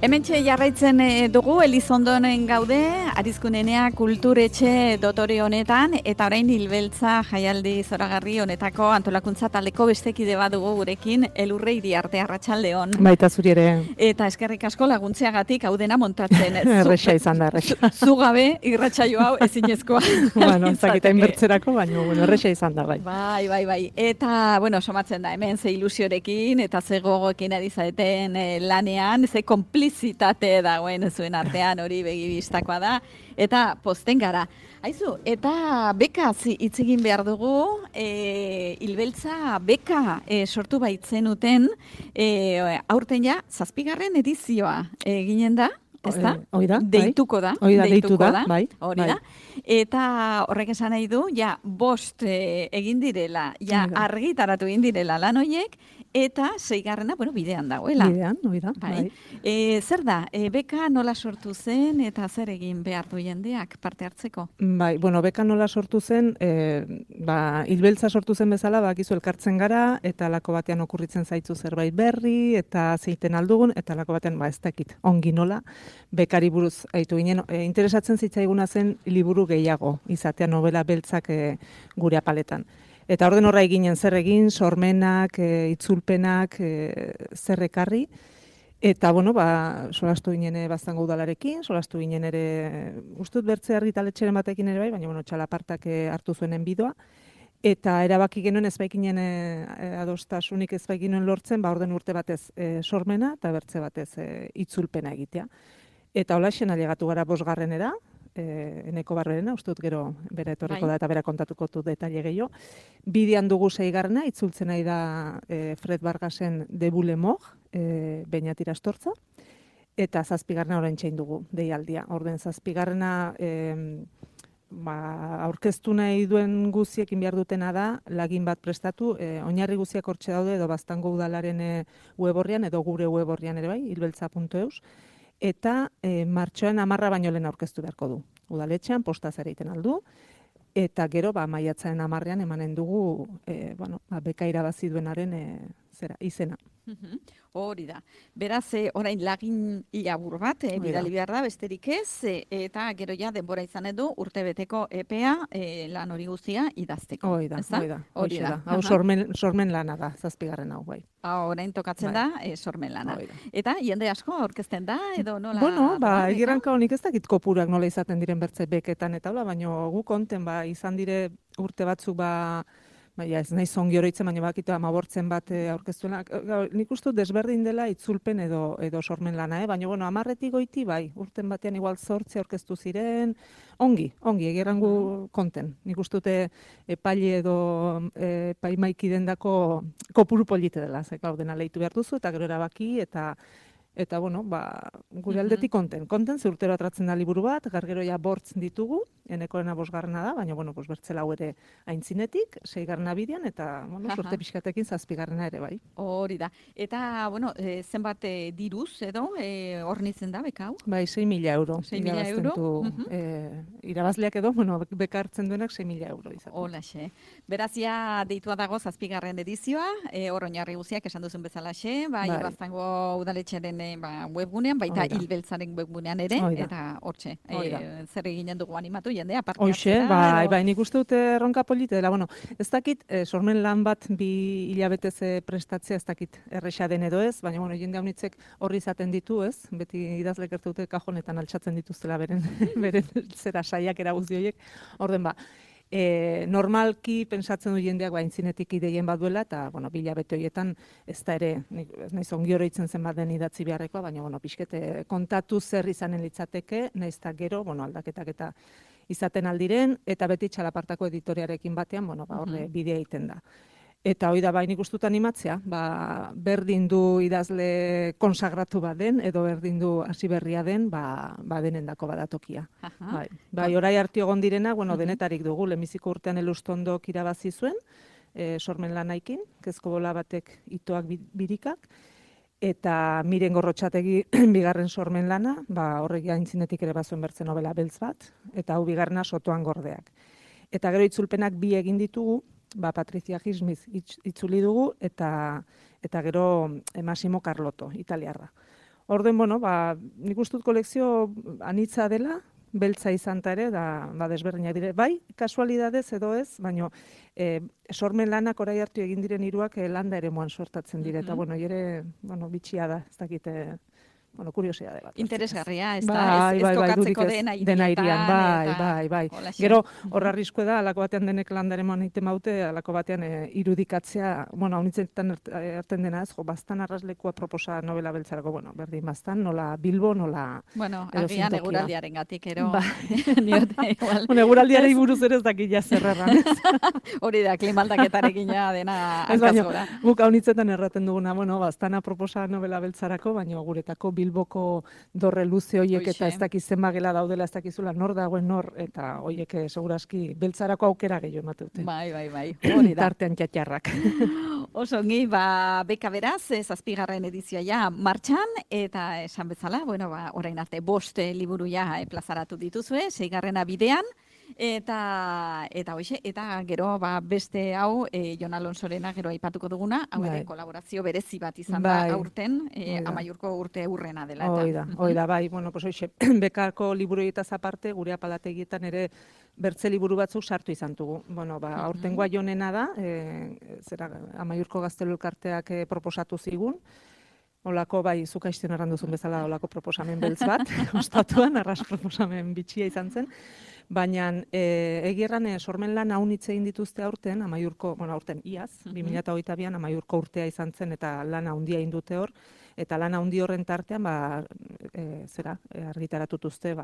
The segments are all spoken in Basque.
Hementxe jarraitzen dugu Elizondonen gaude, Arizkunenea kulturetxe dotore honetan, eta orain Hilbeltza jaialdi zoragarri honetako antolakuntza taldeko bestekide bat dugu gurekin, Elurre Iriarte, arratsaldeon. Baita zuri ere. Eta eskerrik asko laguntzeagatik hau dena montatzen. Erresa izan da, erresa. Zugabe, irratsaio hau ezinezkoa. Bueno, zakita inbertzerako, baina erresa izan da, bai. Bai. Eta, somatzen da, hemen ze ilusiorekin, eta ze gogoekin ari zaeten lanean, ze konplizitate dagoen zuen artean, hori begibistakoa da, eta posten gara. Aizu, eta bekaz hitz egin behar dugu, Hilbeltza beka sortu baitzenuten, aurten ja, 7. edizioa ginen da, ezta? Oida, deituko da. Deitu da, bai. Hori da. Eta horrek esan nahi du, 5 egin direla, argitaratu egin direla lan horiek, eta 6. Bidean dagoela. Bidean, oida, bai. Zer da, beka nola sortu zen eta zer egin behar du jendeak parte hartzeko? Bai, beka nola sortu zen, Hilbeltza sortu zen bezala, bakizu elkartzen gara, eta lako batean okurritzen zaitzu zerbait berri, eta zeiten aldugun, eta lako batean, ez dakit, ongi nola, bekari buruz aitu ginen. Interesatzen zitzaiguna zen liburu gehiago, izatea novela beltzak gure apaletan. Eta orden horra eginen zer egin, sormenak, itzulpenak, zer ekarri. Eta, solastu ginen baztango udalarekin, solastu ginen ere, ustut bertze argitaletxeren batekin ere bai, baina, txalapartak hartu zuenen bidoa. Eta erabaki genuen ezbaikinen adostasunik ezbaikinen lortzen, orden urte batez sormena eta bertze batez itzulpena egitea. Eta holaxen ailegatu gara 5. Eneko Barberena, ustut gero bera etorriko da eta bera kontatuko du detaile gehiago. Bidean dugu 6. itzultzen nahi da Fred Vargasen Debule Mog, Beñat Irastortza, eta 7. orain txein dugu deialdia. Orden 7. Aurkeztu nahi duen guziekin behar dutena da, lagin bat prestatu, oinarri guziak hortxe daude edo baztango udalaren web orrian edo gure web orrian ere bai, hilbeltza.eus, eta martxoan 10 baino lehen aurkeztu beharko du. Udaletxean, postaz ere egiten aldu, eta gero, maiatzaren 10 emanen dugu, beka irabazi duenaren izena. Hori da. Beraz, orain lagin labur bat, bidali behar da, besterik ez, eta gero ja denbora izan edu urtebeteko EPEA lan hori guztia idazteko. Hori da. Hau sormen lana da, 7. hau, bai. Orain tokatzen da, sormen lana. Eta jende asko aurkezten da, edo nola? Egiranka honik ez dakit kopurak nola izaten diren bertze beketan, eta baina gu konten, izan dire urte batzuk, ez nahi zongi oroitzen, baina bakitu 15 bat aurkeztuena. Nik uste desberdin dela itzulpen edo sormen lana, baina 10 goiti bai, urten batean igual 8 aurkeztu ziren, ongi, egerangu konten. Nik uste dute epaile edo epaimaiki dendako kopuru polite dela, dena lehitu behar duzu, eta gero erabaki, eta gure aldetik konten, ze urtero atratzen da liburu bat, gero ja 5 ditugu, enekoena 5. da, baina, bertzela hau ere aintzinetik, 6. bidean, eta, sorte pixkatekin 7. ere, bai. Hori da. Eta, zenbat diruz, edo, hornitzen da, beka hau? Bai, 6.000 euro. 6.000 euro? Irabazleak edo, beka hartzen duenak 6.000 euro izan. Holaxe. Berazia deitua dago 7. edizioa, hor oinarri guziak esan duzun bezalaxe, baztango udaletxeren webgunean, baita Hilbeltzaren webgunean ere, eta hortxe, zer eginen dugu animatu jendea, parte hartzera. Bai, nik uste dute erronka polite dela, ez dakit, sormen lan bat 2 hilabetez prestatzea, ez dakit erresa den edo ez, baina, jende haunitzek horri izaten ditu, ez, beti idazlek ertu dute kajonetan altxatzen dituztela beren zera saiak eraguzdi horiek, orden normalki pensatzen du jendeak aintzinetik ideien bat duela, eta, 2 hilabete horietan ez da ere, ez nahiz ongi oroitzen zen bat den idatzi beharrekoa, baina, pixkete kontatu zer izanen litzateke, nahiz eta gero, aldaketak eta izaten aldiren, eta beti txalapartako editoriarekin batean, horre bidea egiten da. Eta hori da, nik uste animatzea, berdin du idazle konsagratu bat den, edo berdin du hasi berria den, denendako badatokia. Bai, orai harti egon direna, denetarik dugu, lehenbiziko urtean Elustondok irabazi zuen, sormen lanaikin, kezko bola batek itoak birikak, eta Miren Gorrotxategi 2. sormen lana, horrek aintzinetik ere bazuen bertzen novela beltz bat, eta hau 2. Sotoan gordeak. Eta gero itzulpenak 2 egin ditugu, Patrizia Gismiz itzuli dugu, eta gero Massimo Carlotto, italiarra. Orden, bueno, nik uste dut kolekzio anitza dela, beltza izan ta ere, desberdinak dire. Bai, kasualidadez edo ez, baina sormen lanak orai hartu egin diren hiruak landa eremuan sortatzen dire. Eta, bueno, ere, bitxia da, ez dakite, kuriosidade bat. Interesgarria, ez da, ez kokatzeko dena hirian, bai. Gero, horra arriskue da, alako batean denek landaremoan egiten baute, alako batean irudikatzea, hau nintzetan erten dena ez, bastan arraslekua proposa novela beltzarako, berdin bastan, nola Bilbo, nola agian eguraldiaren gatik, ero. Eguraldiaren buruz ere ez dakit jazerrerran. Hori da, klimaldaketarekin dena hankazgora. Guk hau nintzetan erraten duguna, bastana proposa novela beltzarako, baina guretako Bilboko dorre luze hoiek eta ez dakiz zenbagela daudela, ez dakizula nor dagoen nor, eta hoiek segurazki beltzarako aukera gehiago emateute. Bai. Hori da. Tartean txatxarrak. Oso ongi, beka beraz, 7. edizioa martxan, eta esan bezala, orain arte 5 liburu plazaratu dituzue, 6. bidean, eta hoxe, eta gero beste hau Jon Alonsorena gero aipatuko duguna, hau ere kolaborazio berezi bat izan da aurten, Amaiurko urte urrena dela. Oida, bai, hoxe, bekako liburuetaz aparte, gure apalategietan ere bertze liburu batzuk sartu izan dugu. Aurtengoa Jonena da, Amaiurko Gaztelu Elkarteak proposatu zigun, olako, zuk aizten erranduzun bezala, olako proposamen beltz bat, ostatuan, arras proposamen bitxia izan zen, baina egierran sormen lan hau egin dituzte aurten, aurten iaz, 2022an Amaiurko urtea izan zen, eta lan handia indute hor, eta lan handi horren tartean, argitaratutuzte,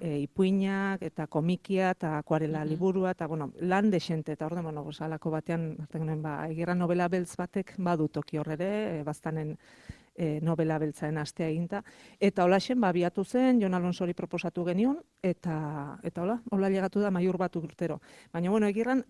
ipuinak, eta komikia, eta akuarela liburua, eta, lan desente, eta orden, alako batean, egierran novela beltz batek badu toki horrere, bastanen novela beltzaen astea eginta, eta holaxen biatu zen, Jon Alonsori proposatu genion, eta hola llegatu da Amaiur bat urtero. Baina, egirran,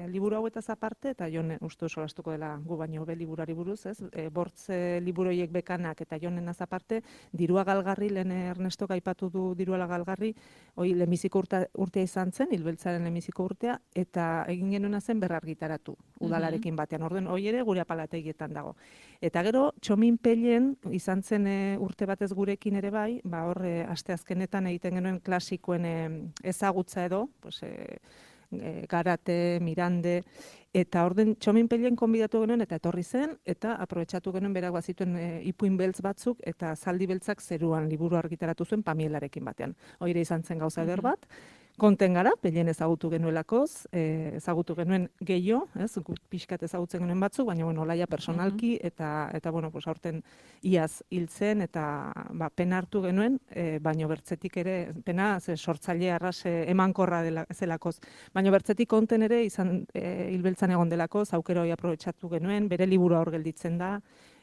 liburu hauetaz aparte, eta Jon uste solastuko dela gu baino be liburari buruz, ez? Bortze liburoiek bekanak eta Jonenaz aparte, Dirua Galgarri, lehen Ernestok aipatu du Dirua Galgarri, hoi lehenbiziko urtea izan zen, hilbeltzaren lehenbiziko urtea, eta egin genuena zen berrargitaratu, udalarekin batean. Orden, hoi ere gure apalategietan dago. Eta gero, Txomin Pellen, izan zen urte batez gurekin ere bai, horre asteazkenetan egiten genuen klasikoen ezagutza edo, Garate, Mirande, eta orden Txomin Pellen konbidatu genuen eta etorri zen, eta aprobetxatu genuen berak bazituen ipuin beltz batzuk, eta zaldi beltzak zeruan liburu argitaratu zuen Pamielarekin batean. Hoire izan zen gauza eder bat, konten gara, Pellen ezagutu genuelakoz, ezagutu genuen gehiago, pixkat ezagutzen genuen batzuk, baina, olaia personalki, eta aurten iaz hiltzen, eta pena hartu genuen, baina bertzetik ere, pena, sortzaile arras emankorra zelakoz, baina bertzetik konten ere, izan hilbeltzan egon delakoz, aukero hori aprobetxatu genuen, bere liburua hor gelditzen da,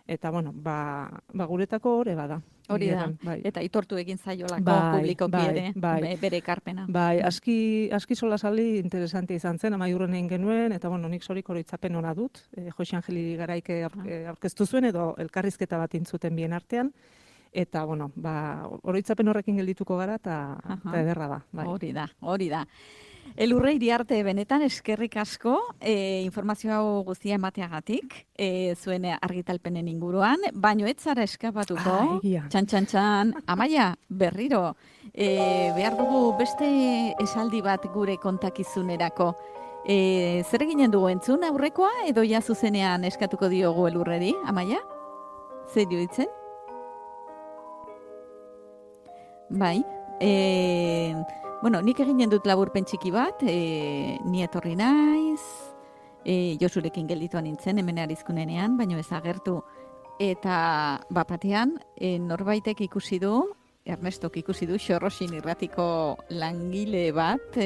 eta, guretako hori bada. Hori da, eta itortu egin zaiolako publikoki ere, bere ekarpena. Aski solasaldi interesante izan zen, Amaiurren egin genuen, eta nik zorik oroitzapen ona dut, Josi Angeli Garaike aurkeztu zuen, edo elkarrizketa bat intzuten bien artean, eta, oroitzapen horrekin geldituko gara, eta ederra da. Hori da. Elurre Iriarte benetan eskerrik asko informazio hau guztia emateagatik, zuen argitalpenen inguruan, baino ez zara eskapatuko, txan, Amaia, berriro, behar dugu beste esaldi bat gure kontakizunerako. Zer eginen dugu entzun aurrekoa, edo ja zuzenean eskatuko diogu Elurreri, Amaia? Zer ditzen? Bai, nik eginen dut laburpen txiki bat, ni etorri naiz, Josurekin geldituan nintzen, hemen arizkunenean, baino ez agertu. Eta bapatean, norbaitek ikusi du, Ernestok ikusi du, Xorroxin irratiko langile bat,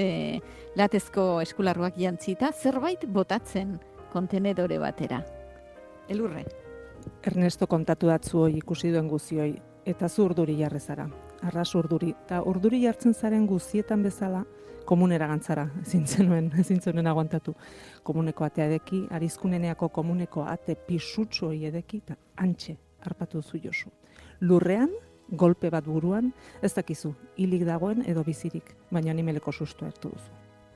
latezko eskularruak jantzita, zerbait botatzen kontenedore batera. Elurre. Ernesto kontatu datzu hoi ikusi duen guzioi, eta zu urduri jarrezara. Arras urduri. Eta urduri jartzen zaren guzietan bezala, komunera gantzara, ezin zenuen aguantatu. Komuneko atea edeki, arizkuneneako komuneko ate pisutsu hoi edeki, eta antxe harpatu zu Josu. Lurrean, golpe bat buruan, ez dakizu, hilik dagoen edo bizirik, baina animeleko sustu hartu duzu.